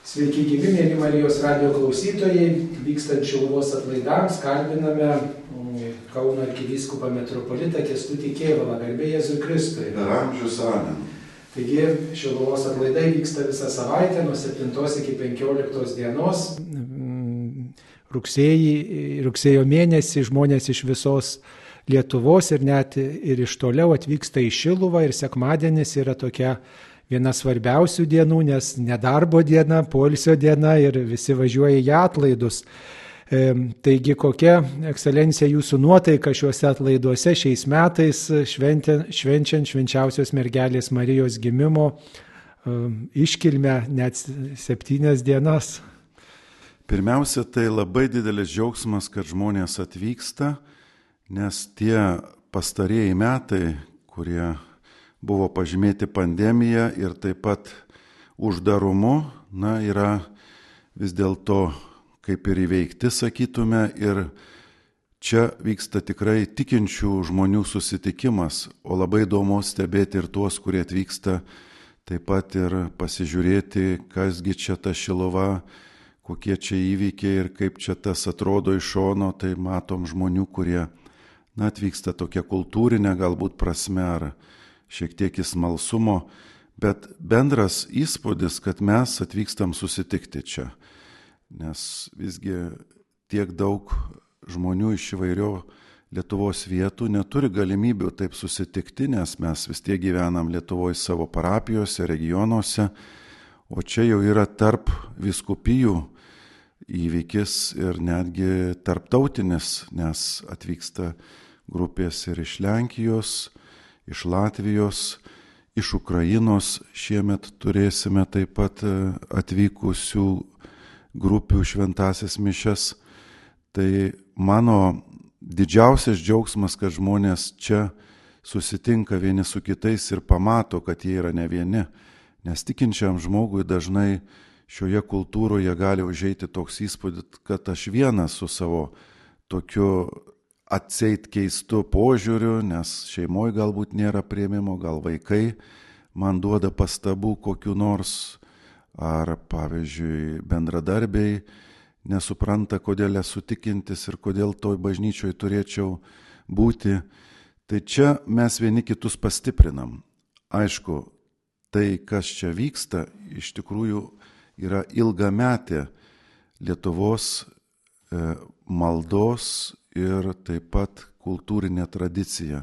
Sveiki gyvi, mėly Marijos radijo klausytojai. Vykstant Šiluvos atlaidams kalbiname Kauno arkivyskupą metropolitą Kęstutį Kėvalą. Garbė Jėzui Kristui. Per amžius amen. Taigi Šiluvos atlaidai vyksta visą savaitę nuo 7 iki 15 dienos. Rugsėjo mėnesį žmonės iš visos Lietuvos ir net ir iš toliau atvyksta į Šiluvą ir sekmadienis yra tokia viena svarbiausių dienų, nes nedarbo diena, poilsio diena ir visi važiuoja į atlaidus. Taigi kokia, ekscelencija, jūsų nuotaika šiuose atlaiduose šiais metais švenčiant švenčiausios mergelės Marijos gimimo iškilmę net 7 dienas? Pirmiausia, tai labai didelis džiaugsmas, kad žmonės atvyksta, nes tie pastarieji metai, kurie buvo pažymėti pandemija ir taip pat uždarumu, yra vis dėlto kaip ir įveikti, sakytume, ir čia vyksta tikrai tikinčių žmonių susitikimas, o labai įdomu stebėti ir tuos, kurie atvyksta taip pat ir pasižiūrėti, kasgi čia ta Šiluva, kokie čia įvykiai ir kaip čia tas atrodo iš šono, tai matom žmonių, kurie atvyksta tokia kultūrinė galbūt prasme ar šiek tiek į smalsumo, bet bendras įspūdis, kad mes atvykstam susitikti čia, nes visgi tiek daug žmonių iš įvairių Lietuvos vietų neturi galimybių taip susitikti, nes mes vis tiek gyvenam Lietuvoje savo parapijose, regionuose, o čia jau yra tarp vyskupijų įvykis ir netgi tarptautinis, nes atvyksta grupės ir iš Lenkijos, iš Latvijos, iš Ukrainos. Šiemet turėsime taip pat atvykusių grupių šventąsias mišias. Tai mano didžiausias džiaugsmas, kad žmonės čia susitinka vieni su kitais ir pamato, kad jie yra ne vieni. Nes tikinčiam žmogui dažnai šioje kultūroje gali užeiti toks įspūdis, kad aš vienas su savo tokiu atseit keistu požiūriu, nes šeimoje galbūt nėra priėmimo, gal vaikai man duoda pastabų kokiu nors, ar pavyzdžiui bendradarbiai nesupranta, kodėl esu tikintis ir kodėl toj bažnyčioje turėčiau būti. Tai čia mes vieni kitus pastiprinam. Aišku, tai, kas čia vyksta, iš tikrųjų yra ilgametė Lietuvos maldos ir taip pat kultūrinė tradicija.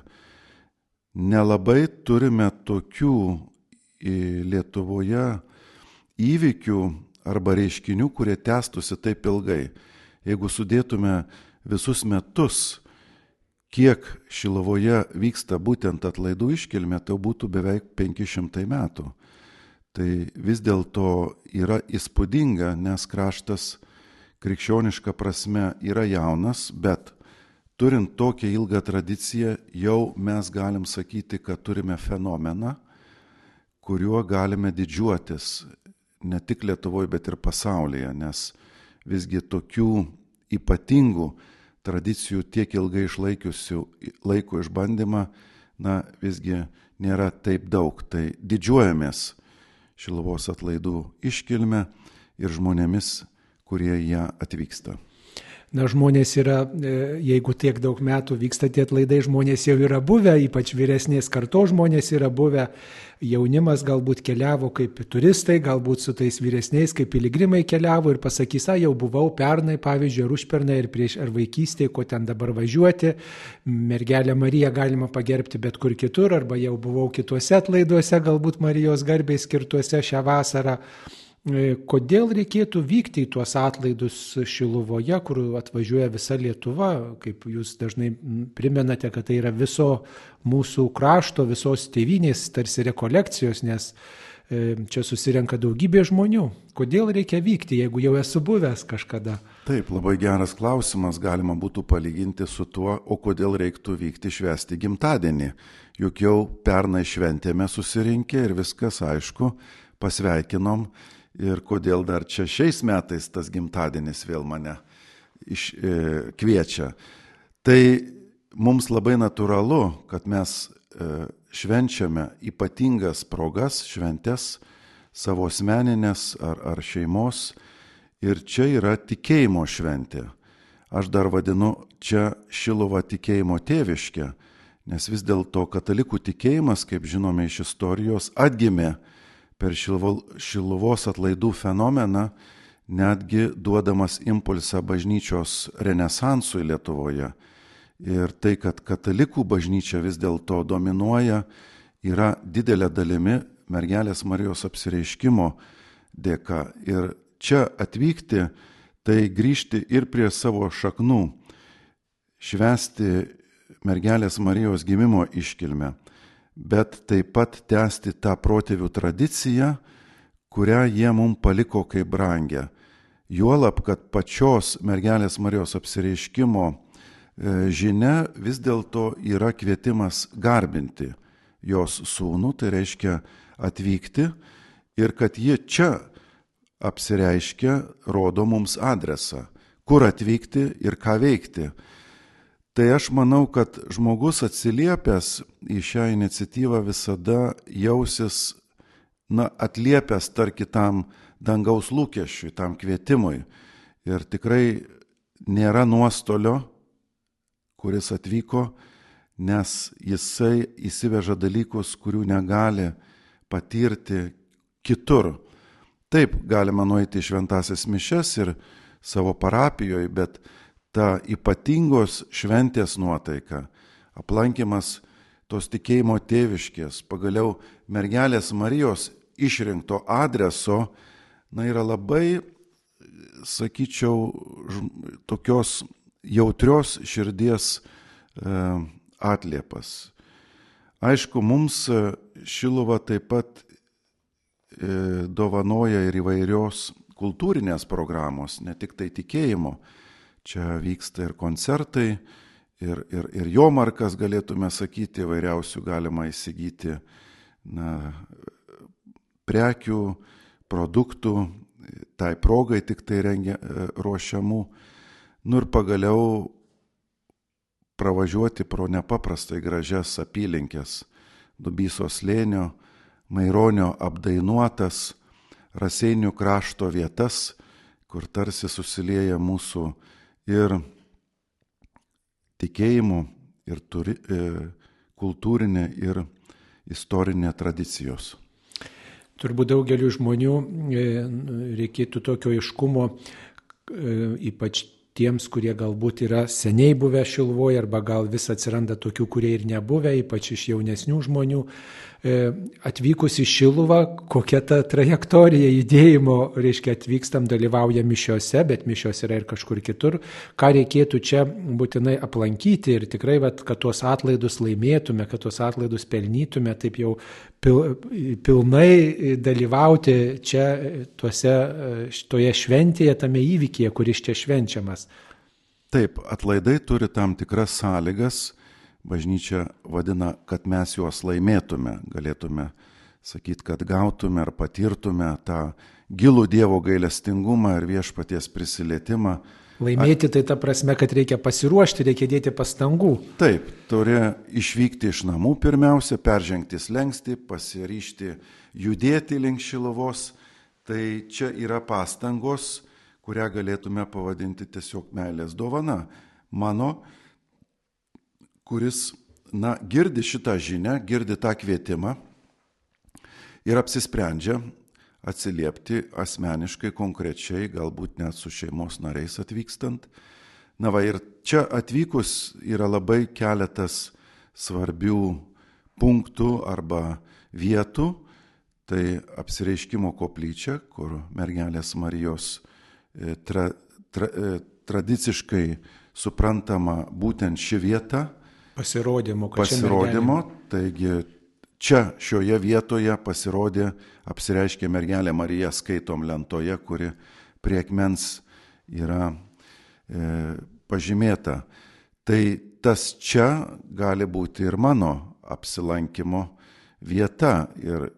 Nelabai turime tokių Lietuvoje įvykių arba reiškinių, kurie tęstųsi taip ilgai. Jeigu sudėtume visus metus, kiek Šiluvoje vyksta būtent atlaidų iškilmė, tai būtų beveik 500 metų. Tai vis dėlto yra įspūdinga, nes kraštas krikščioniška prasme yra jaunas, bet turint tokią ilgą tradiciją, jau mes galim sakyti, kad turime fenomeną, kuriuo galime didžiuotis ne tik Lietuvoje, bet ir pasaulyje, nes visgi tokių ypatingų tradicijų tiek ilgai išlaikiusių laiko išbandymą, visgi nėra taip daug. Tai didžiuojamės Šiluvos atlaidų iškilme ir žmonėmis, kurie ją atvyksta. Žmonės yra, jeigu tiek daug metų vyksta tie atlaidai, žmonės jau yra buvę, ypač vyresnės kartos žmonės yra buvę, jaunimas galbūt keliavo kaip turistai, galbūt su tais vyresniais kaip piligrimai keliavo ir pasakys, jau buvau pernai, pavyzdžiui, ar užpernai, ar vaikystėje, ko ten dabar važiuoti, mergelę Mariją galima pagerbti bet kur kitur, arba jau buvau kituose atlaiduose, galbūt Marijos garbei skirtuose šią vasarą. Kodėl reikėtų vykti į tuos atlaidus Šiluvoje, kur atvažiuoja visa Lietuva, kaip jūs dažnai primenate, kad tai yra viso mūsų krašto, visos tėvynės tarsi rekolekcijos, nes čia susirenka daugybė žmonių. Kodėl reikia vykti, jeigu jau esu buvęs kažkada? Taip, labai geras klausimas, galima būtų palyginti su tuo, o kodėl reiktų vykti švęsti gimtadienį. Juk jau pernai šventėme susirinkę ir viskas aišku, pasveikinom. Ir kodėl dar čia šiais metais tas gimtadienis vėl mane kviečia. Tai mums labai natūralu, kad mes švenčiame ypatingas progas, šventes savo asmeninės ar šeimos. Ir čia yra tikėjimo šventė. Aš dar vadinu čia Šiluvą tikėjimo tėviškę, nes vis dėlto katalikų tikėjimas, kaip žinome iš istorijos, atgimė per Šiluvos atlaidų fenomeną, netgi duodamas impulsą bažnyčios renesansui Lietuvoje. Ir tai, kad katalikų bažnyčia vis dėlto dominuoja, yra didelė dalimi mergelės Marijos apsireiškimo dėka. Ir čia atvykti, tai grįžti ir prie savo šaknų, švęsti mergelės Marijos gimimo iškilmę, bet taip pat tęsti tą protėvių tradiciją, kurią jie mums paliko kaip brangę. Juolab, kad pačios mergelės Marijos apsireiškimo žinia vis dėlto yra kvietimas garbinti jos sūnų, tai reiškia atvykti, ir kad ji čia apsireiškia, rodo mums adresą, kur atvykti ir ką veikti. Tai aš manau, kad žmogus atsiliepęs į šią iniciatyvą visada jausis, atliepęs kitam dangaus lūkesčiui, tam kvietimui. Ir tikrai nėra nuostolio, kuris atvyko, nes jisai įsiveža dalykus, kurių negali patirti kitur. Taip, galima nueiti į šventąsias mišias ir savo parapijoje, bet ta ypatingos šventės nuotaika, aplankymas tos tikėjimo tėviškės, pagaliau mergelės Marijos išrinkto adreso, yra labai, sakyčiau, tokios jautrios širdies atliepas. Aišku, mums Šiluva taip pat dovanoja ir įvairios kultūrinės programos, ne tik tai tikėjimo. Čia vyksta ir koncertai, ir jomarkas, galėtume sakyti, įvairiausių galima įsigyti prekių, produktų, tai progai tik tai ruošiamų. Ir pagaliau pravažiuoti pro nepaprastai gražias apylinkės, Dubysos slėnio, Maironio apdainuotas Raseinių krašto vietas, kur tarsi susilieja mūsų ir tikėjimo, ir kultūrinė, ir istorinė tradicijos. Turbūt daugeliu žmonių reikėtų tokio aiškumo, ypač tiems, kurie galbūt yra seniai buvę Šiluvoje, arba gal vis atsiranda tokių, kurie ir nebuvę, ypač iš jaunesnių žmonių. Atvykus į Šiluvą, kokia ta trajektorija judėjimo, reiškia atvykstam, dalyvaujam mišiose, bet mišios yra ir kažkur kitur. Ką reikėtų čia būtinai aplankyti ir tikrai, kad tuos atlaidus laimėtume, kad tuos atlaidus pelnytume, taip jau pilnai dalyvauti čia toje šventėje, tame įvykyje, kuris čia švenčiamas. Taip, atlaidai turi tam tikras sąlygas. Bažnyčia vadina, kad mes juos laimėtume, galėtume sakyti, kad gautume ar patirtume tą gilų Dievo gailestingumą ir viešpaties prisilietimą. Laimėti tai ta prasme, kad reikia pasiruošti, reikia dėti pastangų. Taip, turi išvykti iš namų pirmiausia, peržengti slenkstį, pasiryžti judėti link Šiluvos. Tai čia yra pastangos, kurią galėtume pavadinti tiesiog meilės dovana. Mano, kuris girdi šitą žinią, girdi tą kvietimą ir apsisprendžia atsiliepti asmeniškai, konkrečiai, galbūt net su šeimos nariais atvykstant. Ir čia atvykus yra labai keletas svarbių punktų arba vietų. Tai apsireiškimo koplyčia, kur mergelės Marijos tradiciškai suprantama būtent ši vieta. Pasirodymo, taigi čia šioje vietoje pasirodė, apsireiškė mergelė Marija, skaitom lentoje, kuri prie akmens yra pažymėta. Tai tas čia gali būti ir mano apsilankimo vieta. Ir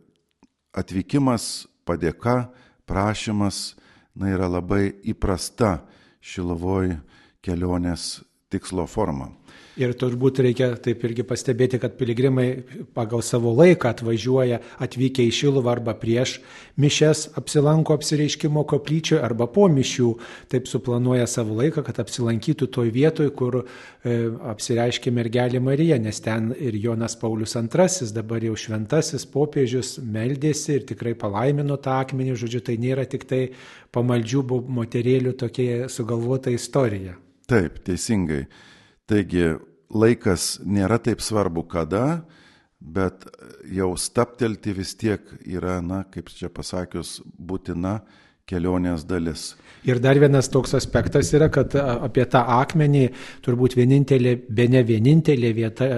atvykimas, padėka, prašymas yra labai įprasta Šiluvoj kelionės tikslo forma. Ir turbūt reikia taip irgi pastebėti, kad piligrimai pagal savo laiką atvykę į Šiluvą arba prieš mišias apsilanko apsireiškimo koplyčioje arba po mišių, taip suplanuoja savo laiką, kad apsilankytų toj vietoj, kur apsireiškė mergelė Marija, nes ten ir Jonas Paulius II, dabar jau šventasis popiežius, meldėsi ir tikrai palaimino tą akmenį, žodžiu, tai nėra tik tai pamaldžių moterėlių tokia sugalvota istorija. Taip, teisingai. Taigi laikas nėra taip svarbu kada, bet jau staptelti vis tiek yra, kaip čia pasakius, būtina kelionės dalis. Ir dar vienas toks aspektas yra, kad apie tą akmenį turbūt bene vienintelė vieta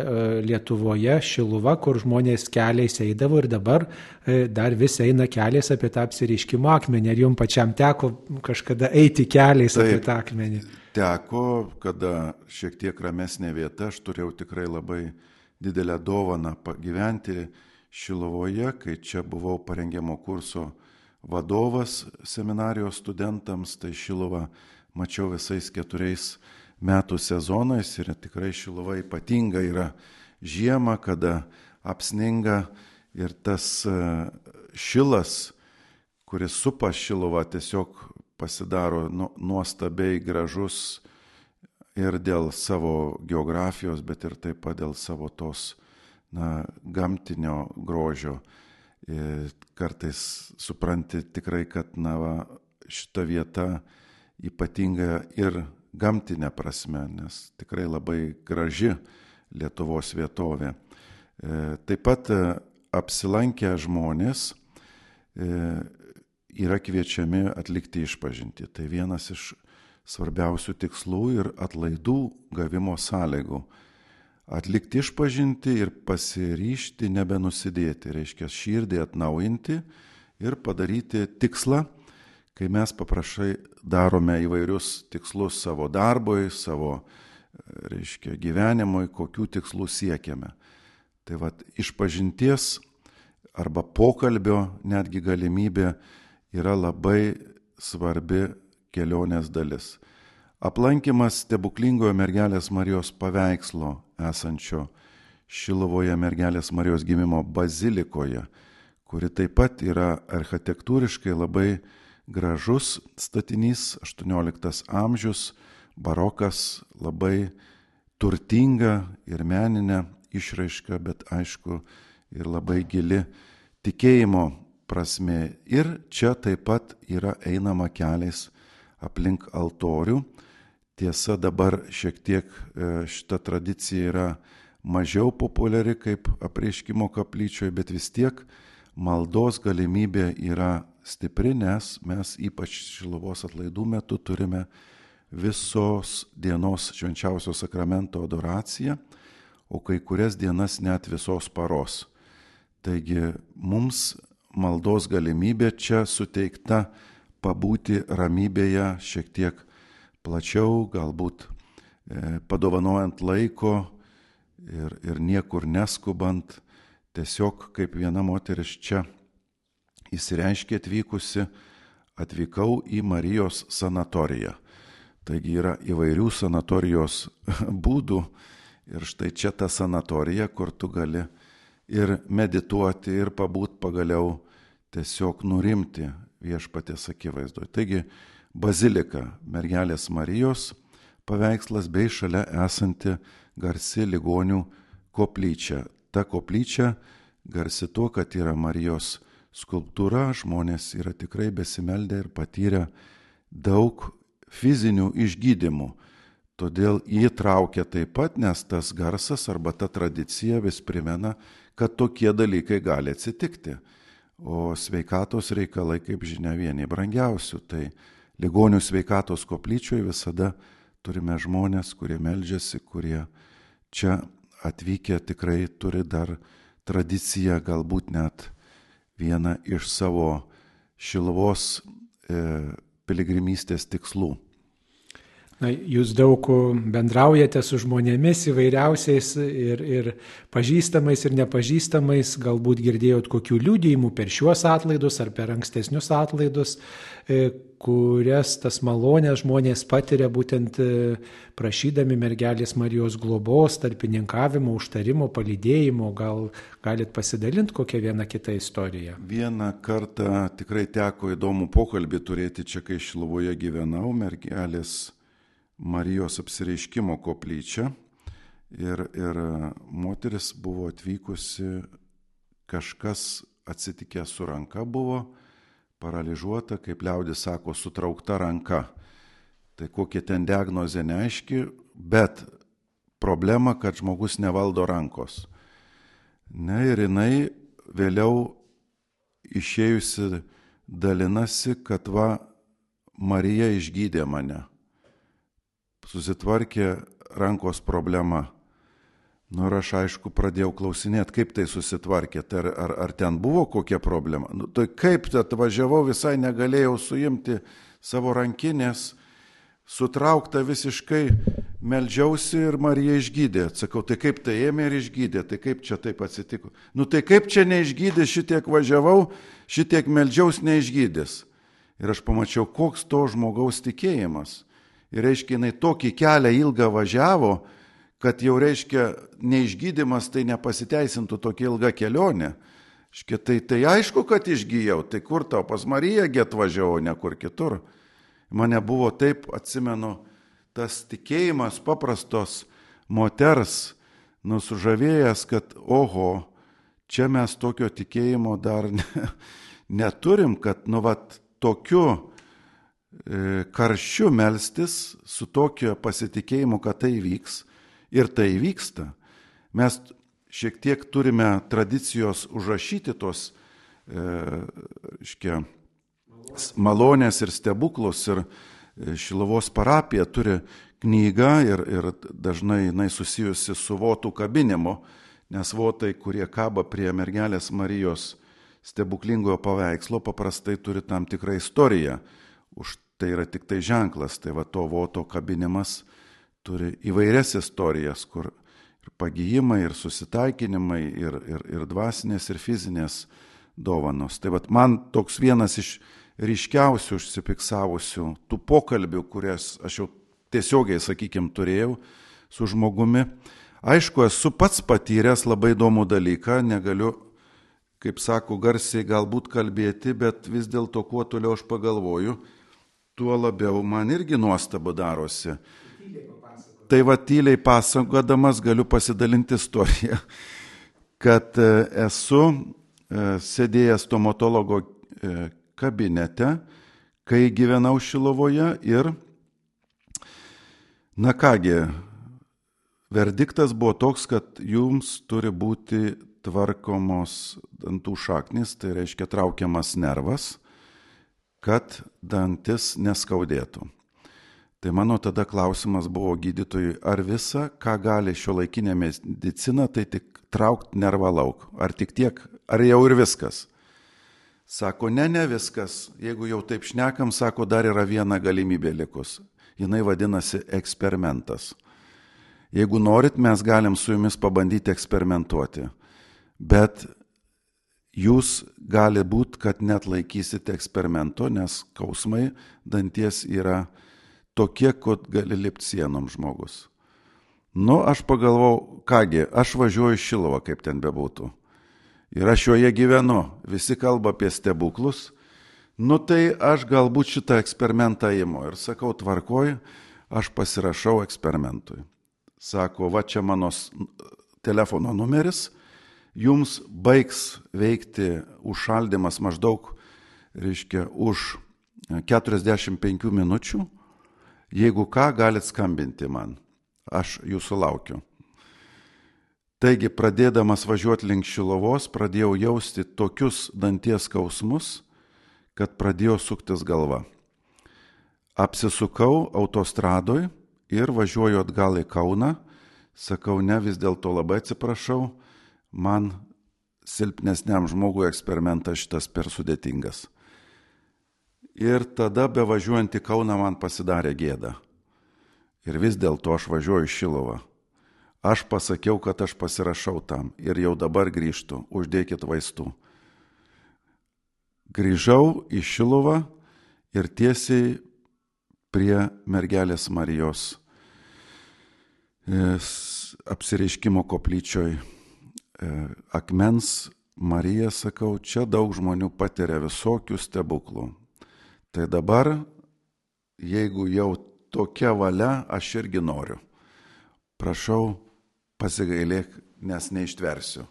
Lietuvoje, Šiluva, kur žmonės keliais eidavo ir dabar dar vis eina keliais apie tą apsireiškimo akmenį. Ar jums pačiam teko kažkada eiti keliais apie tą akmenį? Teko, kada šiek tiek ramesnė vieta, aš turėjau tikrai labai didelę dovaną pagyventi Šiluvoje, kai čia buvau parengiamo kurso vadovas seminarijos studentams, tai Šiluvą mačiau visais 4 metų sezonais ir tikrai Šiluva ypatinga yra žiema, kada apsninga ir tas šilas, kuris supa Šiluvą, tiesiog pasidaro nuostabiai gražus ir dėl savo geografijos, bet ir taip pat dėl savo tos gamtinio grožio. Kartais supranti tikrai, kad šita vieta ypatinga ir gamtinė prasme, nes tikrai labai graži Lietuvos vietovė. Taip pat apsilankę žmonės yra kviečiami atlikti išpažintį. Tai vienas iš svarbiausių tikslų ir atlaidų gavimo sąlygų. Atlikti išpažintį ir pasiryžti nebenusidėti, reiškia širdį atnaujinti ir padaryti tikslą, kai mes paprastai darome įvairius tikslus savo darbui, savo gyvenimui, kokių tikslų siekiame. Tai išpažinties arba pokalbio netgi galimybė yra labai svarbi kelionės dalis. Aplankymas stebuklingojo mergelės Marijos paveikslo esančio Šiluvoje mergelės Marijos gimimo bazilikoje, kuri taip pat yra architektūriškai labai gražus statinys, 18 amžius, barokas, labai turtinga ir meninė išraiška, bet aišku ir labai gili tikėjimo prasme. Ir čia taip pat yra einama keliais aplink altorių. Tiesa, dabar šiek tiek šita tradicija yra mažiau populiari kaip apreiškimo koplyčioje, bet vis tiek maldos galimybė yra stipri, nes mes ypač Šiluvos atlaidų metu turime visos dienos švenčiausio sakramento adoraciją, o kai kurias dienas net visos paros. Taigi mums maldos galimybė čia suteikta pabūti ramybėje šiek tiek plačiau, galbūt padovanojant laiko ir niekur neskubant, tiesiog kaip viena moteris čia įsireiškė atvykusi, atvykau į Marijos sanatoriją. Taigi yra įvairių sanatorijos būdų ir štai čia ta sanatorija, kur tu gali ir medituoti, ir pabūt pagaliau tiesiog nurimti viešpaties akivaizdoje. Taigi bazilika mergelės Marijos paveikslas bei šalia esanti garsi ligonių koplyčia. Ta koplyčia garsi tuo, kad yra Marijos skulptūra, žmonės yra tikrai besimeldę ir patyrę daug fizinių išgydymų. Todėl jį traukia taip pat, nes tas garsas arba ta tradicija vis primena, kad tokie dalykai gali atsitikti. O sveikatos reikalai, kaip žinia, vieni brangiausių. Tai ligonių sveikatos koplyčioje visada turime žmonės, kurie meldžiasi, kurie čia atvykę tikrai turi dar tradiciją, galbūt net vieną iš savo Šiluvos piligrimystės tikslų. Na, jūs daug bendraujate su žmonėmis įvairiausiais ir pažįstamais ir nepažįstamais, galbūt girdėjot kokių liudijimų per šiuos atlaidus ar per ankstesnius atlaidus, kurias tas malonės žmonės patiria būtent prašydami mergelės Marijos globos, tarpininkavimo, užtarimo, palydėjimo. Gal galit pasidalinti kokią vieną kitą istoriją? Vieną kartą tikrai teko įdomų pokalbį turėti čia, kai Šiluvoje gyvenau, mergelės Marijos apsireiškimo koplyčia ir moteris buvo atvykusi, kažkas atsitikę su ranka buvo, paralyžiuota, kaip liaudis sako, sutraukta ranka. Tai kokia ten diagnozė neaiški, bet problema, kad žmogus nevaldo rankos. Ne, ir jinai vėliau išėjusi dalinasi, kad va, Marija išgydė mane. Susitvarkė rankos problema. Nu ir aš aišku pradėjau klausinėti, kaip tai susitvarkė, ar ten buvo kokia problema. Nu, tai kaip atvažiavau, visai negalėjau suimti savo rankinės, sutraukta visiškai, meldžiausi ir Marija išgydė. Sakau, tai kaip tai ėmė ir išgydė, tai kaip čia taip atsitiko. Nu tai kaip čia neišgydė, šitiek važiavau, šitiek meldžiaus neišgydės. Ir aš pamačiau, koks to žmogaus tikėjimas. Ir reiškia, jinai tokį kelią ilgą važiavo, kad jau reiškia, neišgydymas tai nepasiteisintų tokia ilga kelionė. Reiškia, tai aišku, kad išgyjau, tai kur tau pas Mariją atvažiavau, ne kur kitur. Mane buvo taip, atsimenu, tas tikėjimas paprastos moters nusužavėjęs, kad oho, čia mes tokio tikėjimo dar neturim, kad tokiu karščiu melstis su tokio pasitikėjimu, kad tai vyks ir tai vyksta. Mes šiek tiek turime tradicijos užrašyti tos malonės ir stebuklus ir Šiluvos parapija turi knygą ir dažnai jinai susijusi su votų kabinimu, nes votai, kurie kaba prie mergelės Marijos stebuklingojo paveikslo, paprastai turi tam tikrą istoriją. Už tai yra tik tai ženklas, tai va to voto kabinimas turi įvairias istorijas, kur ir pagijimai, ir susitaikinimai, ir dvasinės, ir fizinės dovanos. Tai va man toks vienas iš ryškiausių užsifiksavusių tų pokalbių, kurias aš jau tiesiogiai, sakykime, turėjau su žmogumi. Aišku, esu pats patyręs labai įdomų dalyką, negaliu, kaip sako, garsiai galbūt kalbėti, bet vis dėlto kuo toliau aš pagalvoju, tuo labiau man irgi nuostabu darosi. Tai va tyliai pasakodamas galiu pasidalinti istoriją, kad esu sėdėjęs stomatologo kabinete, kai gyvenau Šiluvoje ir, na kągi, verdiktas buvo toks, kad jums turi būti tvarkomos dantų šaknys, tai reiškia traukiamas nervas, kad dantis neskaudėtų. Tai mano tada klausimas buvo gydytojui, ar visa, ką gali šiuolaikinė medicina, tai tik traukt nervą lauk. Ar tik tiek, ar jau ir viskas? Sako, ne viskas. Jeigu jau taip šnekam, sako, dar yra viena galimybė likus. Jinai vadinasi eksperimentas. Jeigu norit, mes galim su jumis pabandyti eksperimentuoti. Bet jūs gali būti, kad net laikysite eksperimento, nes skausmai danties yra tokie, kad gali lipti sienom žmogus. Nu, aš pagalvojau, kągi, aš važiuoju į Šiluvą, kaip ten bebūtų. Ir aš joje gyvenu, visi kalba apie stebuklus. Nu, tai aš galbūt šitą eksperimentą imu. Ir sakau, tvarkoj, aš pasirašau eksperimentui. Sako, va čia mano telefono numeris, jums baigs veikti užšaldymas maždaug, reiškia, už 45 minučių. Jeigu ką, galit skambinti man. Aš jūsų laukiu. Taigi, pradėdamas važiuoti link Šiluvos, pradėjau jausti tokius danties skausmus, kad pradėjo suktis galva. Apsisukau autostradoj ir važiuoju atgal į Kauną. Sakau, ne, vis dėlto labai atsiprašau, man silpnesniam žmogui eksperimentas šitas per sudėtingas. Ir tada bevažiuojant į Kauną man pasidarė gėda. ir vis dėlto aš važiuoju į Šiluvą. Aš pasakiau, kad aš pasirašau tam ir jau dabar grįžtu, uždėkit vaistų. Grįžau į Šiluvą ir tiesiai prie mergelės Marijos apsireiškimo koplyčioj akmens Marija, sakau, čia daug žmonių patiria visokių stebuklų. Tai dabar, jeigu jau tokia valia, aš irgi noriu. Prašau, pasigailėk, nes neištversiu.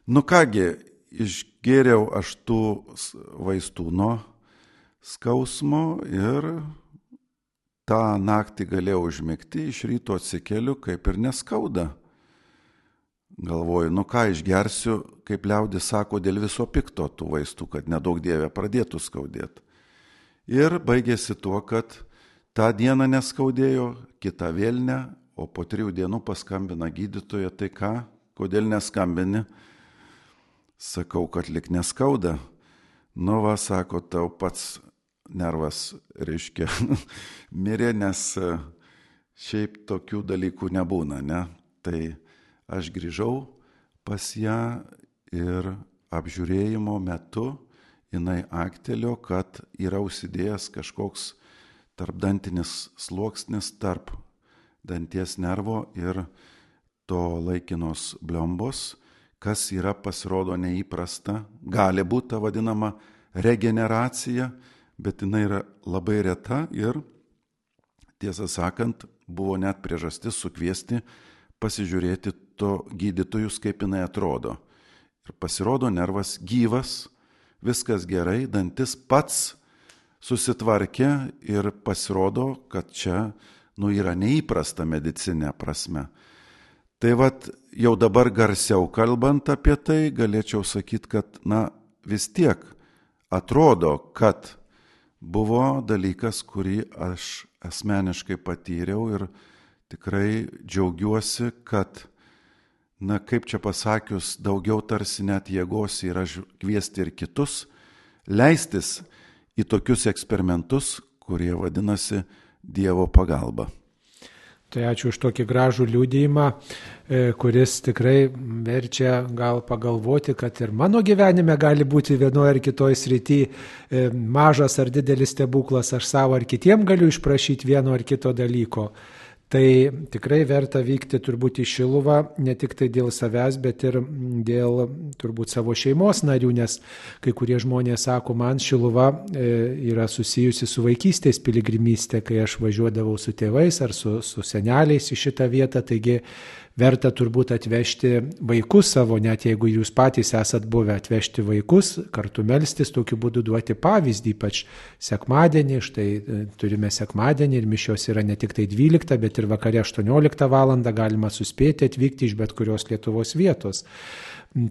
Nu kągi, išgėriau aš tų vaistų nuo skausmo ir tą naktį galėjau užmigti, iš ryto atsikeliu, kaip ir neskauda. Galvoju, nu ką išgersiu, kaip liaudis sako, dėl viso pikto tų vaistų, kad nedaug dievė pradėtų skaudėti. Ir baigėsi tuo, kad tą dieną neskaudėjo, kitą vėl ne, o po 3 dienų paskambina gydytoja, tai ką, kodėl neskambini? Sakau, kad lik neskauda. Nu va, sako, tau pats nervas, reiškia, mirė, nes šiaip tokių dalykų nebūna, ne? Tai aš grįžau pas ją ir apžiūrėjimo metu jinai aktelio, kad yra užsidėjęs kažkoks tarpdantinis sluoksnis tarp danties nervo ir to laikinos bliombos, kas yra pasirodo neįprasta, gali būti ta vadinama regeneracija, bet jinai yra labai reta ir, tiesą sakant, buvo net priežastis sukviesti pasižiūrėti to gydytojus, kaip jinai atrodo. Ir pasirodo nervas gyvas, viskas gerai, dantis pats susitvarkė ir pasirodo, kad čia yra neįprasta medicinė prasme. Tai vat jau dabar garsiau kalbant apie tai, galėčiau sakyti, kad vis tiek atrodo, kad buvo dalykas, kurį aš asmeniškai patyriau ir tikrai džiaugiuosi, kad, kaip čia pasakius, daugiau tarsi net jėgos yra kviesti ir kitus, leistis į tokius eksperimentus, kurie vadinasi Dievo pagalba. Tai ačiū už tokį gražų liudijimą, kuris tikrai verčia gal pagalvoti, kad ir mano gyvenime gali būti vienoje ar kitoje srityje mažas ar didelis stebuklas, aš savo ar kitiem galiu išprašyti vieno ar kito dalyko. Tai tikrai verta vykti turbūt į Šiluvą, ne tik tai dėl savęs, bet ir dėl turbūt savo šeimos narių, nes kai kurie žmonės sako, man Šiluva yra susijusi su vaikystės piligrimystė, kai aš važiuodavau su tėvais ar su seneliais į šitą vietą, taigi verta turbūt atvežti vaikus savo, net jeigu jūs patys esat buvę, atvežti vaikus, kartu melstis, tokiu būdu duoti pavyzdį, ypač sekmadienį, štai turime sekmadienį ir mišios yra ne tik tai 12, bet ir vakare 18 valandą galima suspėti atvykti iš bet kurios Lietuvos vietos.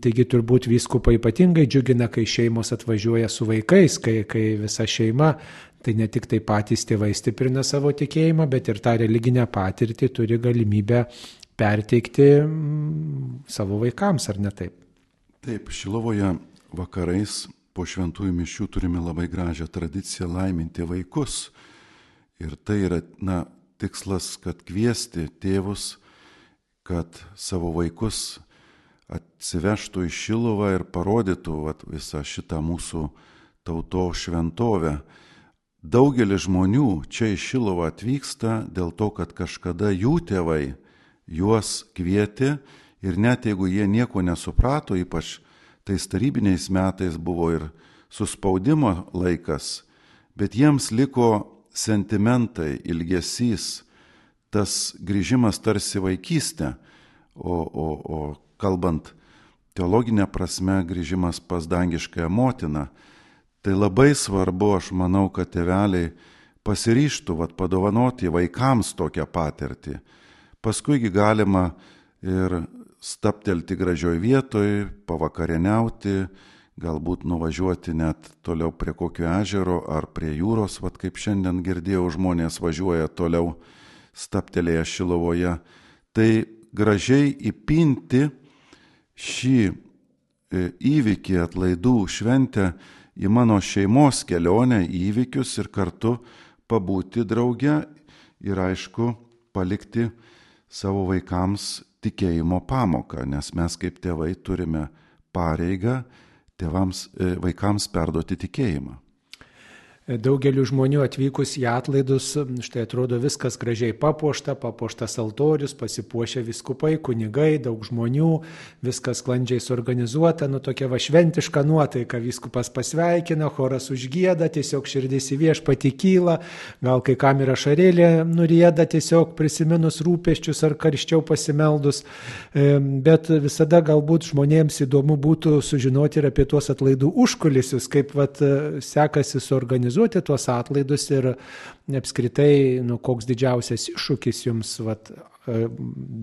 Taigi turbūt vyskupai ypatingai džiugina, kai šeimos atvažiuoja su vaikais, kai visa šeima, tai ne tik tai patys tėvai stiprina savo tikėjimą, bet ir tą religinę patirtį turi galimybę perteikti savo vaikams, ar ne taip? Taip, Šiluvoje vakarais po šventųjų mišių turime labai gražią tradiciją laiminti vaikus. Ir tai yra, tikslas, kad kviesti tėvus, kad savo vaikus atsivežtų į Šiluvą ir parodytų visą šitą mūsų tautos šventovę. Daugelis žmonių čia į Šiluvą atvyksta dėl to, kad kažkada jų tėvai juos kvietė ir net jeigu jie nieko nesuprato, ypač tais tarybiniais metais buvo ir suspaudimo laikas, bet jiems liko sentimentai, ilgesys, tas grįžimas tarsi vaikystė, o kalbant teologinę prasme, grįžimas pas dangiškąją motiną. Tai labai svarbu, aš manau, kad tėveliai pasiryžtų padovanoti vaikams tokią patirtį. Paskuigi galima ir staptelti gražioj vietoj, pavakarieniauti, galbūt nuvažiuoti net toliau prie kokio ežero ar prie jūros, kaip šiandien girdėjau, žmonės važiuoja toliau staptelėję Šiluvoje. Tai gražiai įpinti šį įvykį, atlaidų šventę į mano šeimos kelionę, įvykius ir kartu pabūti drauge ir aišku palikti savo vaikams tikėjimo pamoką, nes mes kaip tėvai turime pareigą vaikams perduoti tikėjimą. Daugeliu žmonių atvykus į atlaidus, štai atrodo viskas gražiai papuoštas altorius, pasipuošę vyskupai, kunigai, daug žmonių, viskas sklandžiai suorganizuota, tokia šventiška nuotaika, vyskupas pasveikina, choras užgieda, tiesiog širdis į viešpatį kyla, gal kai kam ir ašarėlė nurieda tiesiog prisiminus rūpesčius ar karščiau pasimeldus, bet visada galbūt žmonėms įdomu būtų sužinoti ir apie tuos atlaidų užkulisius, kaip sekasi suorganizuoti tuos atlaidus ir apskritai, koks didžiausias iššūkis jums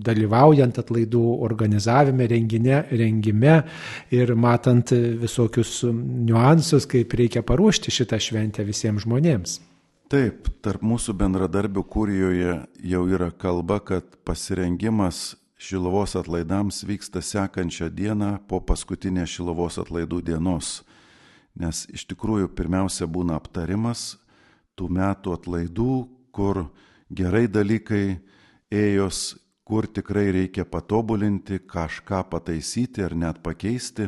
dalyvaujant atlaidų organizavime, rengime ir matant visokius niuansus, kaip reikia paruošti šitą šventę visiems žmonėms. Taip, tarp mūsų bendradarbių kurijoje jau yra kalba, kad pasirengimas Šiluvos atlaidams vyksta sekančią dieną po paskutinės Šiluvos atlaidų dienos. Nes iš tikrųjų pirmiausia būna aptarimas tų metų atlaidų, kur gerai dalykai ėjos, kur tikrai reikia patobulinti, kažką pataisyti ar net pakeisti.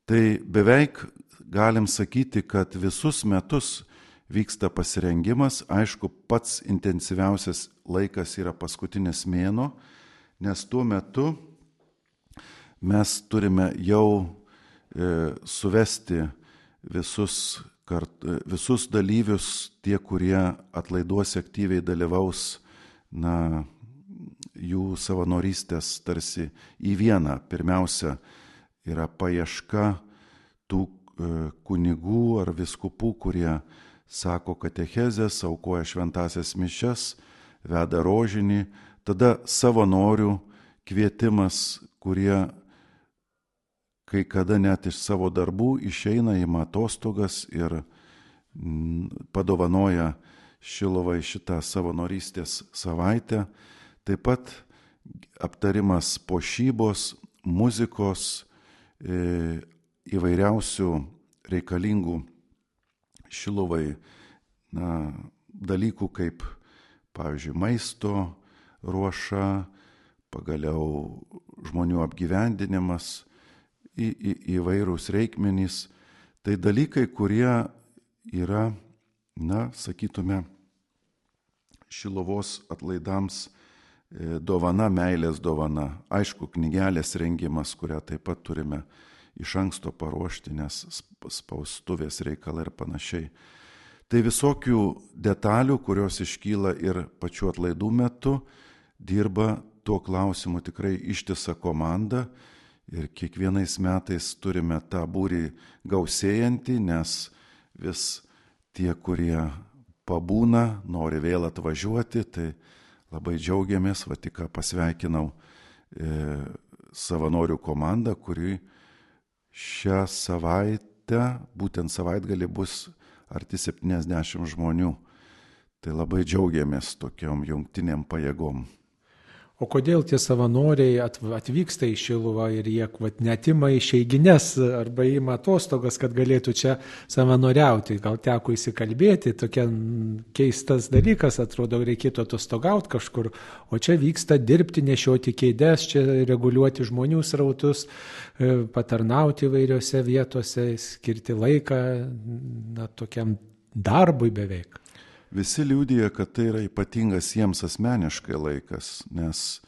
Tai beveik galim sakyti, kad visus metus vyksta pasirengimas. Aišku, pats intensyviausias laikas yra paskutinis mėnuo, nes tuo metu mes turime jau suvesti visus dalyvius, tie, kurie atlaiduose aktyviai dalyvaus, jų savanorystės tarsi į vieną. Pirmiausia yra paieška tų kunigų ar vyskupų, kurie sako katechezes, aukoja šventąsias mišias, veda rožinį, tada savanorių kvietimas, kurie kai kada net iš savo darbų išeina, ima atostogas ir padovanoja Šiluvai šitą savanorystės savaitę. Taip pat aptarimas puošybos, muzikos, įvairiausių reikalingų Šiluvai dalykų, kaip pavyzdžiui maisto ruoša, pagaliau žmonių apgyvendinimas, įvairūs reikmenys. Tai dalykai, kurie yra, sakytume, Šiluvos atlaidams dovana, meilės dovana. Aišku, knygelės rengimas, kurią taip pat turime iš anksto paruošti, nes spaustuvės reikalai ir panašiai. Tai visokių detalių, kurios iškyla ir pačių atlaidų metu, dirba tuo klausimu tikrai ištisa komanda. Ir kiekvienais metais turime tą būrį gausėjantį, nes vis tie, kurie pabūna, nori vėl atvažiuoti, tai labai džiaugiamės, tik pasveikinau savanorių komandą, kuri šią savaitę, būtent savaitgalį bus arti 70 žmonių. Tai labai džiaugiamės tokiom jungtinėm pajėgom. O kodėl tie savanoriai atvyksta į Šiluvą ir jie netima išeigines arba ima atostogas, kad galėtų čia savanoriauti? Gal teko įsikalbėti, tokia keistas dalykas, atrodo, reikėtų atostogauti kažkur, o čia vyksta dirbti, nešioti kėdes, čia reguliuoti žmonių srautus, patarnauti įvairiose vietose, skirti laiką tokiam darbui beveik. Visi liudija, kad tai yra ypatingas jiems asmeniškai laikas, nes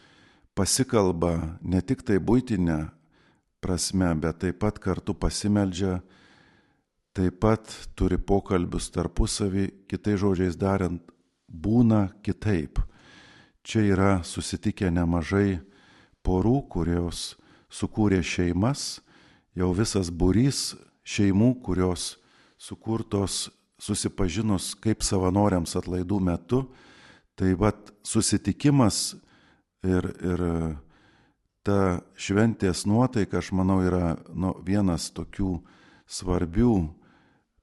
pasikalba ne tik tai buitinę prasme, bet taip pat kartu pasimeldžia, taip pat turi pokalbius tarpusavį, kitais žodžiais darant, būna kitaip. Čia yra susitikę nemažai porų, kurios sukūrė šeimas, jau visas būrys šeimų, kurios sukurtos susipažinus kaip savanoriams atlaidų metu, tai susitikimas ir ta šventės nuotaika, aš manau, yra vienas tokių svarbių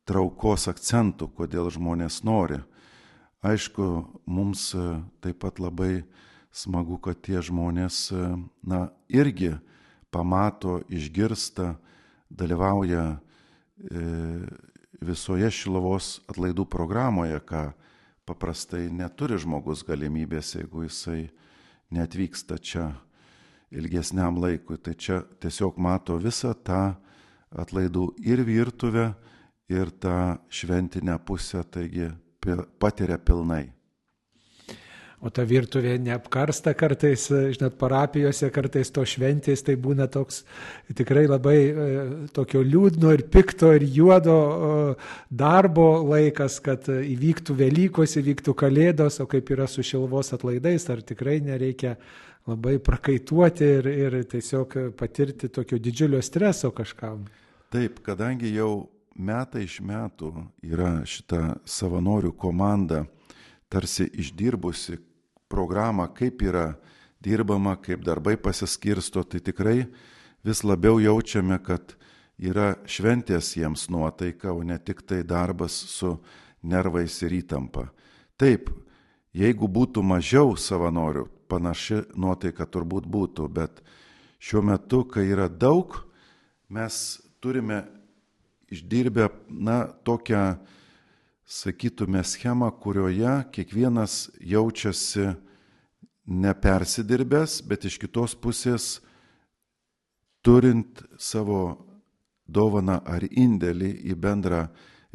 traukos akcentų, kodėl žmonės nori. Aišku, mums taip pat labai smagu, kad tie žmonės irgi pamato, išgirsta, dalyvauja visoje Šiluvos atlaidų programoje, ką paprastai neturi žmogus galimybės, jeigu jisai neatvyksta čia ilgesniam laikui. Tai čia tiesiog mato visą tą atlaidų ir virtuvę, ir tą šventinę pusę, taigi patiria pilnai. O ta virtuvė neapkarsta kartais, žinot, parapijose kartais to šventės, tai būna toks tikrai labai tokio liūdno ir pikto ir juodo darbo laikas, kad įvyktų Velykos, įvyktų Kalėdos, o kaip yra su Šiluvos atlaidais, ar tikrai nereikia labai prakaituoti ir tiesiog patirti tokio didžiulio streso kažkam. Taip, kadangi jau metai iš metų yra šita savanorių komanda tarsi išdirbusi programą, kaip yra dirbama, kaip darbai pasiskirsto, tai tikrai vis labiau jaučiame, kad yra šventės jiems nuotaika, o ne tik tai darbas su nervais ir įtampa. Taip, jeigu būtų mažiau savanorių, panaši nuotaika turbūt būtų, bet šiuo metu, kai yra daug, mes turime išdirbę, tokią, sakytume, schemą, kurioje kiekvienas jaučiasi nepersidirbęs, bet iš kitos pusės turint savo dovaną ar indėlį į bendrą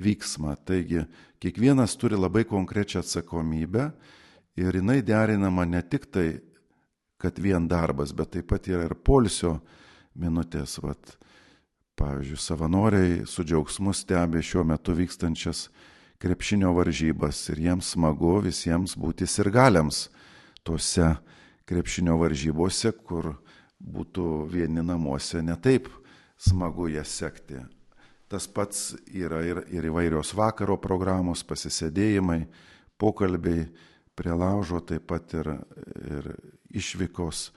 vyksmą. Taigi, kiekvienas turi labai konkrečią atsakomybę ir jinai derinama ne tik tai, kad vien darbas, bet taip pat yra ir poilsio minutės. Pavyzdžiui, savanoriai su džiaugsmu stebi šiuo metu vykstančias krepšinio varžybas ir jiems smagu visiems būti sirgaliams tose krepšinio varžybose, kur būtų vieni namuose netaip smagu jas sekti. Tas pats yra ir įvairios vakaro programos, pasisėdėjimai, pokalbiai prie laužo, taip pat ir išvykos.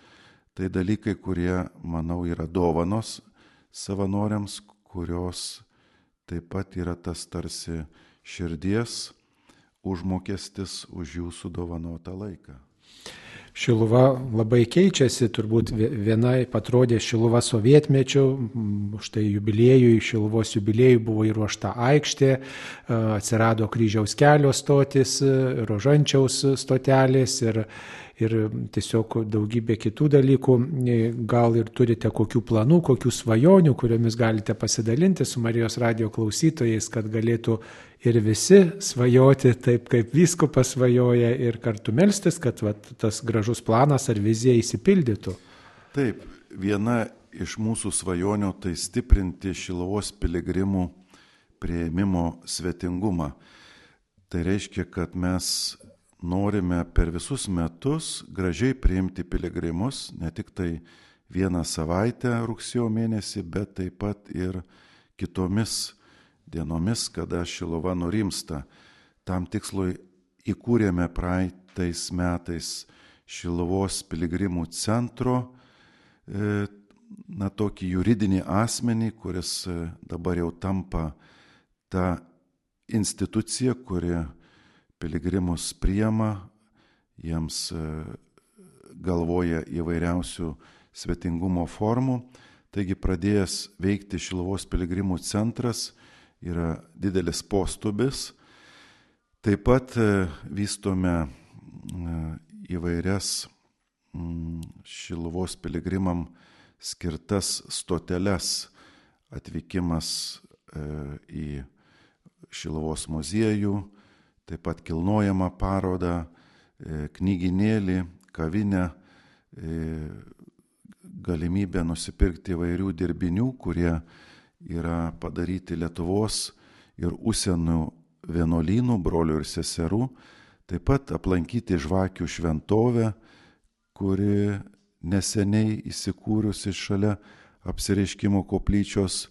Tai dalykai, kurie, manau, yra dovanos savanoriams, kurios taip pat yra tas tarsi širdies užmokestis už jūsų dovanotą laiką. Šiluva labai keičiasi, turbūt vienai atrodė Šiluva sovietmečiu, štai jubiliejui, Šiluvos jubiliejui buvo įruošta aikštė, atsirado Kryžiaus kelio stotis, Rožančiaus stotelės ir tiesiog daugybė kitų dalykų. Gal ir turite kokių planų, kokių svajonių, kuriomis galite pasidalinti su Marijos radijo klausytojais, kad galėtų ir visi svajoti taip, kaip vyskupas svajoja ir kartu melstis, kad tas gražus planas ar vizija įsipildytų. Taip, viena iš mūsų svajonių tai stiprinti Šiluvos piligrimų priėmimo svetingumą. Tai reiškia, kad mes norime per visus metus gražiai priimti piligrimus, ne tik tai vieną savaitę rugsėjo mėnesį, bet taip pat ir kitomis dienomis, kada Šiluva nurimsta. Tam tikslui įkūrėme praeitais metais Šiluvos piligrimų centro, tokį juridinį asmenį, kuris dabar jau tampa ta institucija, kuri piligrimus priima, jiems galvoja įvairiausių svetingumo formų. Taigi pradėjęs veikti Šiluvos piligrimų centras yra didelis postubis. Taip pat vystome įvairias Šiluvos piligrimam skirtas stoteles, atvykimas į Šiluvos muziejų, taip pat kilnojamą parodą, knygynėlį, kavinę, galimybę nusipirkti įvairių dirbinių, kurie yra padaryti Lietuvos ir užsienio vienuolynų, brolių ir seserų, taip pat aplankyti Žvakių šventovę, kuri neseniai įsikūrusi šalia Apsireiškimo koplyčios.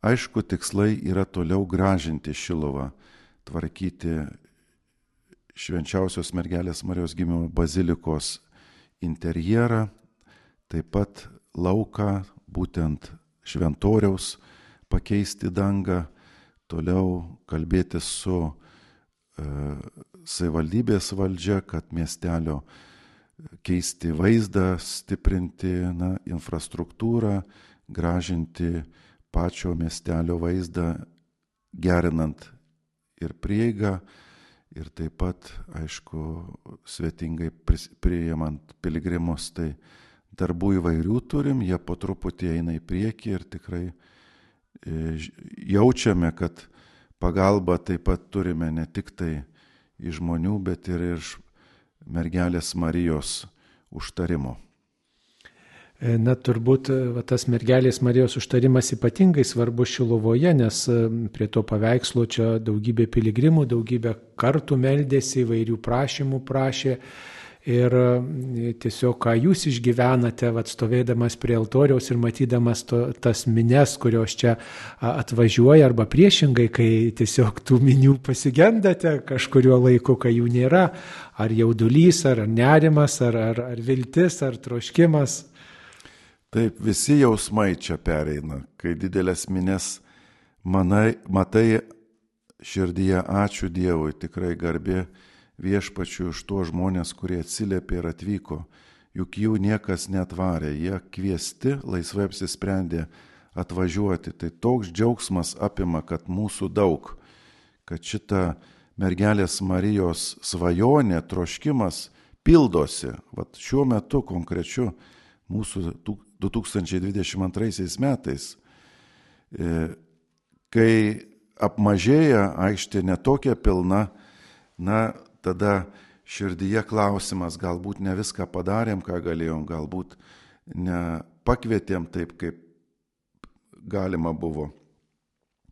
Aišku, tikslai yra toliau gražinti Šiluvą, tvarkyti Švenčiausios mergelės Marijos gimimo bazilikos interjerą, taip pat lauką, būtent šventoriaus, pakeisti dangą, toliau kalbėti su savivaldybės valdžia, kad miestelio keisti vaizdą, stiprinti infrastruktūrą, gražinti pačio miestelio vaizdą, gerinant ir prieigą, ir taip pat, aišku, svetingai priimant piligrimus. Tai darbų įvairių turim, jie po truputį eina į priekį ir tikrai jaučiame, kad pagalbą taip pat turime ne tik tai iš žmonių, bet ir iš mergelės Marijos užtarimo. Na, turbūt tas mergelės Marijos užtarimas ypatingai svarbus Šiluvoje, nes prie to paveikslo čia daugybė piligrimų, daugybė kartų meldėsi, įvairių prašymų prašė. Ir tiesiog, ką jūs išgyvenate, stovėdamas prie altoriaus ir matydamas tas mines, kurios čia atvažiuoja, arba priešingai, kai tiesiog tų minių pasigendate kažkurio laiku, kai jų nėra, ar jaudulys, ar nerimas, ar viltis, ar troškimas. Taip, visi jausmai čia pereina, kai didelės mines matai širdyje, ačiū Dievui, tikrai garbė Viešpačiui už tuos žmonės, kurie atsiliepė ir atvyko, juk jų niekas netvarė, jie kviesti, laisvai apsisprendė atvažiuoti. Tai toks džiaugsmas apima, kad mūsų daug, kad šita mergelės Marijos svajonė, troškimas pildosi. Vat šiuo metu konkrečiu mūsų 2022 metais, kai apmažėja aikštė netokia pilna, tada širdyje klausimas, galbūt ne viską padarėm, ką galėjom, galbūt nepakvietėm taip, kaip galima buvo.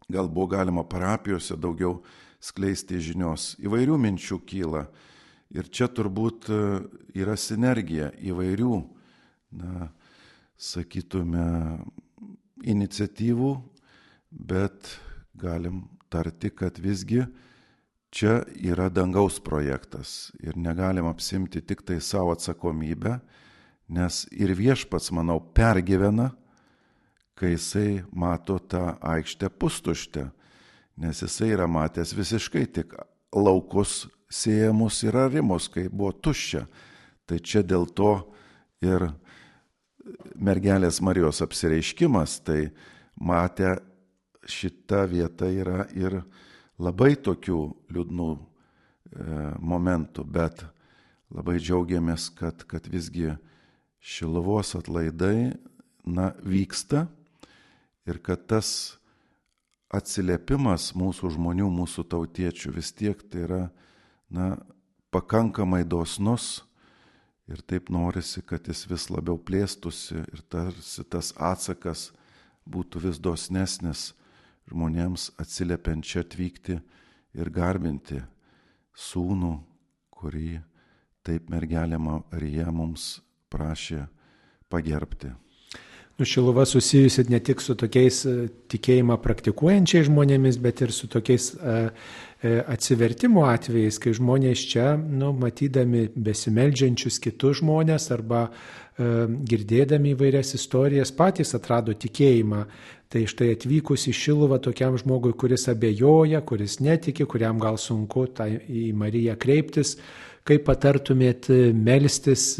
Gal buvo galima parapijose daugiau skleisti žinios. Įvairių minčių kyla. Ir čia turbūt yra sinergija įvairių, sakytume, iniciatyvų, bet galim tarti, kad visgi čia yra dangaus projektas ir negalim apsimti tik tai savo atsakomybę, nes ir Viešpats, manau, pergyvena, kai jisai mato tą aikštę pustuštę, nes jisai yra matęs visiškai tik laukus sėjamus ir arimus, kai buvo tuščia. Tai čia dėl to ir mergelės Marijos apsireiškimas, tai matė šita vieta yra ir labai tokių liūdnų momentų, bet labai džiaugiamės, kad visgi Šiluvos atlaidai vyksta ir kad tas atsiliepimas mūsų žmonių, mūsų tautiečių vis tiek tai yra pakankamai dosnus ir taip norisi, kad jis vis labiau plėstųsi ir tarsi tas atsakas būtų vis dosnesnis žmonėms atsiliepiant čia atvykti ir garbinti sūnų, kurį taip mergelė Marija mums prašė pagerbti. Šiluva susijusi ne tik su tokiais tikėjimą praktikuojančiais žmonėmis, bet ir su tokiais atsivertimo atvejais, kai žmonės čia, matydami besimeldžiančius kitus žmonės arba girdėdami įvairias istorijas, patys atrado tikėjimą. Tai štai atvykus į Šiluvą tokiam žmogui, kuris abejoja, kuris netiki, kuriam gal sunku į Mariją kreiptis, kaip patartumėt melstis,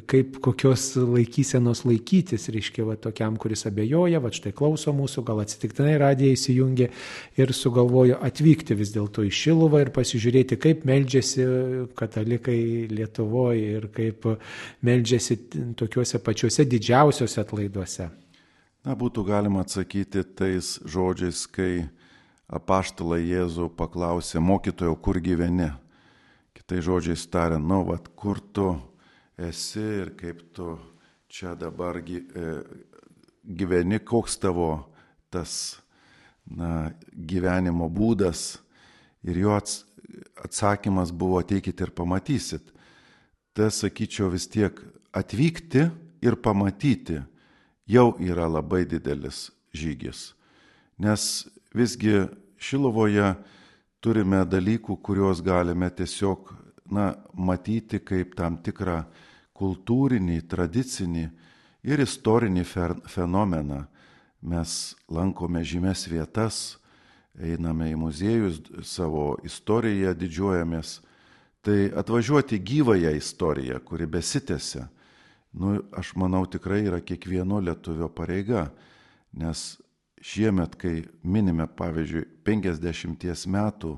kaip kokios laikysenos laikytis, reiškia, tokiam, kuris abejoja, štai klauso mūsų, gal atsitiktinai radiją įsijungė ir sugalvojo atvykti vis dėlto į Šiluvą ir pasižiūrėti, kaip meldžiasi katalikai Lietuvoje ir kaip meldžiasi tokiuose pačiuose didžiausiuose atlaiduose. Būtų galima atsakyti tais žodžiais, kai apaštalai Jėzų paklausė, mokytojau, kur gyveni? Kitai žodžiais tariant, kur tu esi ir kaip tu čia dabar gyveni, koks tavo tas gyvenimo būdas. Ir jo atsakymas buvo, ateikite ir pamatysit. Tai sakyčiau vis tiek atvykti ir pamatyti jau yra labai didelis žygis. Nes visgi Šiluvoje turime dalykų, kuriuos galime tiesiog matyti kaip tam tikrą kultūrinį, tradicinį ir istorinį fenomeną. Mes lankome žymes vietas, einame į muziejus, savo istoriją didžiuojamės. Tai atvažiuoti gyvąją istoriją, kuri besitęsia, aš manau tikrai yra kiekvieno lietuvio pareiga, nes šiemet, kai minime, pavyzdžiui, 50 metų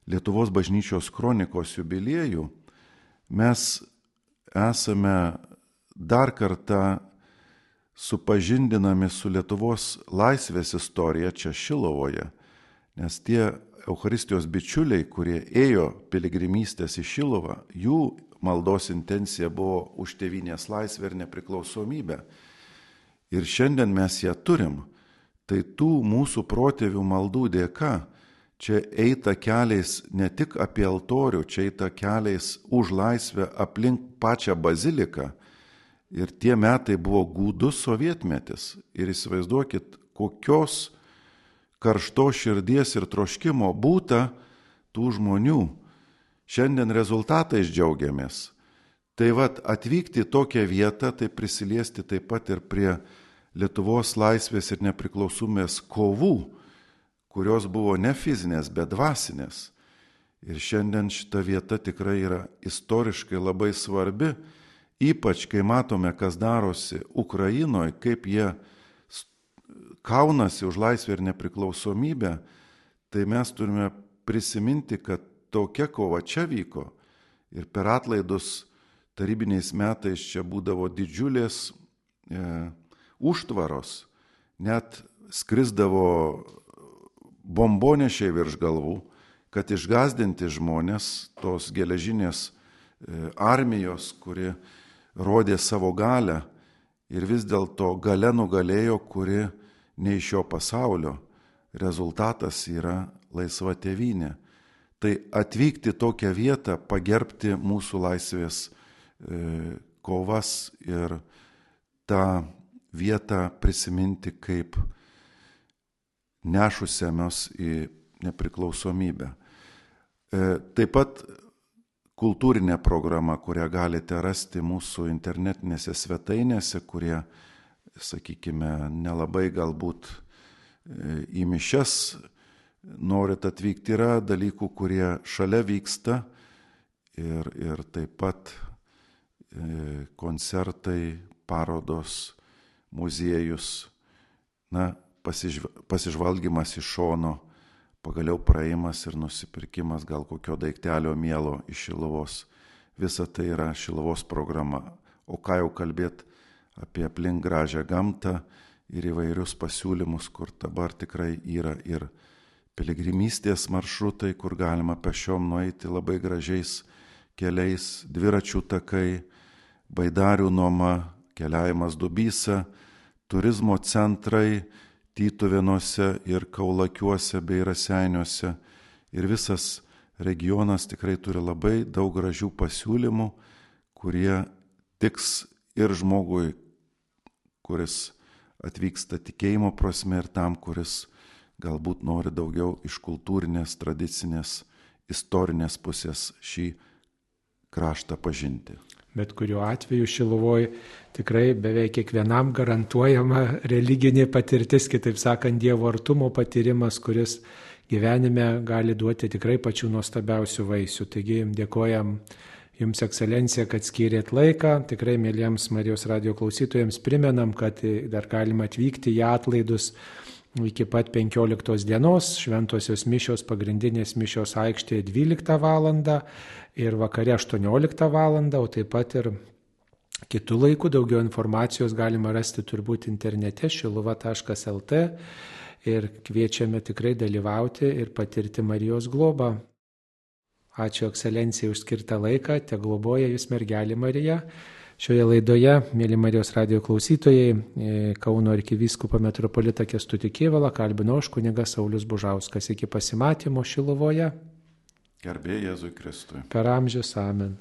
Lietuvos bažnyčios kronikos jubiliejų, mes esame dar kartą supažindinami su Lietuvos laisvės istorija čia Šilovoje, nes tie Eucharistijos bičiuliai, kurie ėjo piligrimystės į Šiluvą, jų maldos intencija buvo už tėvynės laisvę ir nepriklausomybę. Ir šiandien mes ją turim. Tai tų mūsų protėvių maldų dėka čia eita keliais ne tik apie altorių, čia eita keliais už laisvę aplink pačią baziliką. Ir tie metai buvo gūdus sovietmetis. Ir įsivaizduokit, kokios karštos širdies ir troškimo būta tų žmonių. Šiandien rezultatais džiaugiamės. Tai vat atvykti į tokią vietą, tai prisiliesti taip pat ir prie Lietuvos laisvės ir nepriklausomybės kovų, kurios buvo ne fizinės, bet dvasinės. Ir šiandien šita vieta tikrai yra istoriškai labai svarbi, ypač kai matome, kas darosi Ukrainoje, kaip jie kaunasi už laisvę ir nepriklausomybę, tai mes turime prisiminti, kad tokia kova čia vyko ir per atlaidus tarybiniais metais čia būdavo didžiulės užtvaros, net skrisdavo bombonešiai virš galvų, kad išgąsdinti žmonės tos geležinės armijos, kuri rodė savo galią ir vis dėlto galia nugalėjo, kuri ne iš šio pasaulio. Rezultatas yra laisva tėvynė. Tai atvykti tokią vietą, pagerbti mūsų laisvės kovas ir tą vietą prisiminti kaip nešusiamos į nepriklausomybę. Taip pat kultūrinė programa, kurią galite rasti mūsų internetinėse svetainėse, kurie, sakykime, nelabai galbūt į mišias norit atvykti, yra dalykų, kurie šalia vyksta ir taip pat koncertai, parodos, muziejus, pasižvalgymas iš šono, pagaliau praėjimas ir nusipirkimas gal kokio daiktelio mielo iš Šiluvos. Visa tai yra Šiluvos programa. O ką jau kalbėt apie aplink gražią gamtą ir įvairius pasiūlymus, kur dabar tikrai yra ir piligrimystės maršrutai, kur galima pešiom nueiti labai gražiais keliais, dviračių takai, baidarių nuoma, keliavimas Dubysa, turizmo centrai Tytuvėnuose ir Kaulakiuose bei Raseiniuose. Ir visas regionas tikrai turi labai daug gražių pasiūlymų, kurie tiks ir žmogui, kuris atvyksta tikėjimo prasme, ir tam, kuris galbūt nori daugiau iš kultūrinės, tradicinės, istorinės pusės šį kraštą pažinti. Bet kuriuo atveju Šiluvoje tikrai beveik kiekvienam garantuojama religinė patirtis, kitaip sakant, Dievo artumo patyrimas, kuris gyvenime gali duoti tikrai pačių nuostabiausių vaisių. Taigi dėkojam Jums, Ekscelencija, kad skyrėt laiką. Tikrai mėlyjams Marijos radijo klausytojams primenam, kad dar galima atvykti į atlaidus iki pat 15 dienos, šventosios mišios, pagrindinės mišios aikštėje 12 val. Ir vakare 18 val., o taip pat ir kitų laikų. Daugiau informacijos galima rasti turbūt internete šiluva.lt ir kviečiame tikrai dalyvauti ir patirti Marijos globą. Ačiū Ekscelencijai už skirtą laiką, te globoja Jūs mergelė Marija. Šioje laidoje, mėly Marijos radijo klausytojai, Kauno arkivyskupą metropolitą Kęstutį Kėvalą kalbino aš, kunigas Saulius Bužauskas. Iki pasimatymo Šiluvoje. Garbė Jėzui Kristui. Per amžius. Amen.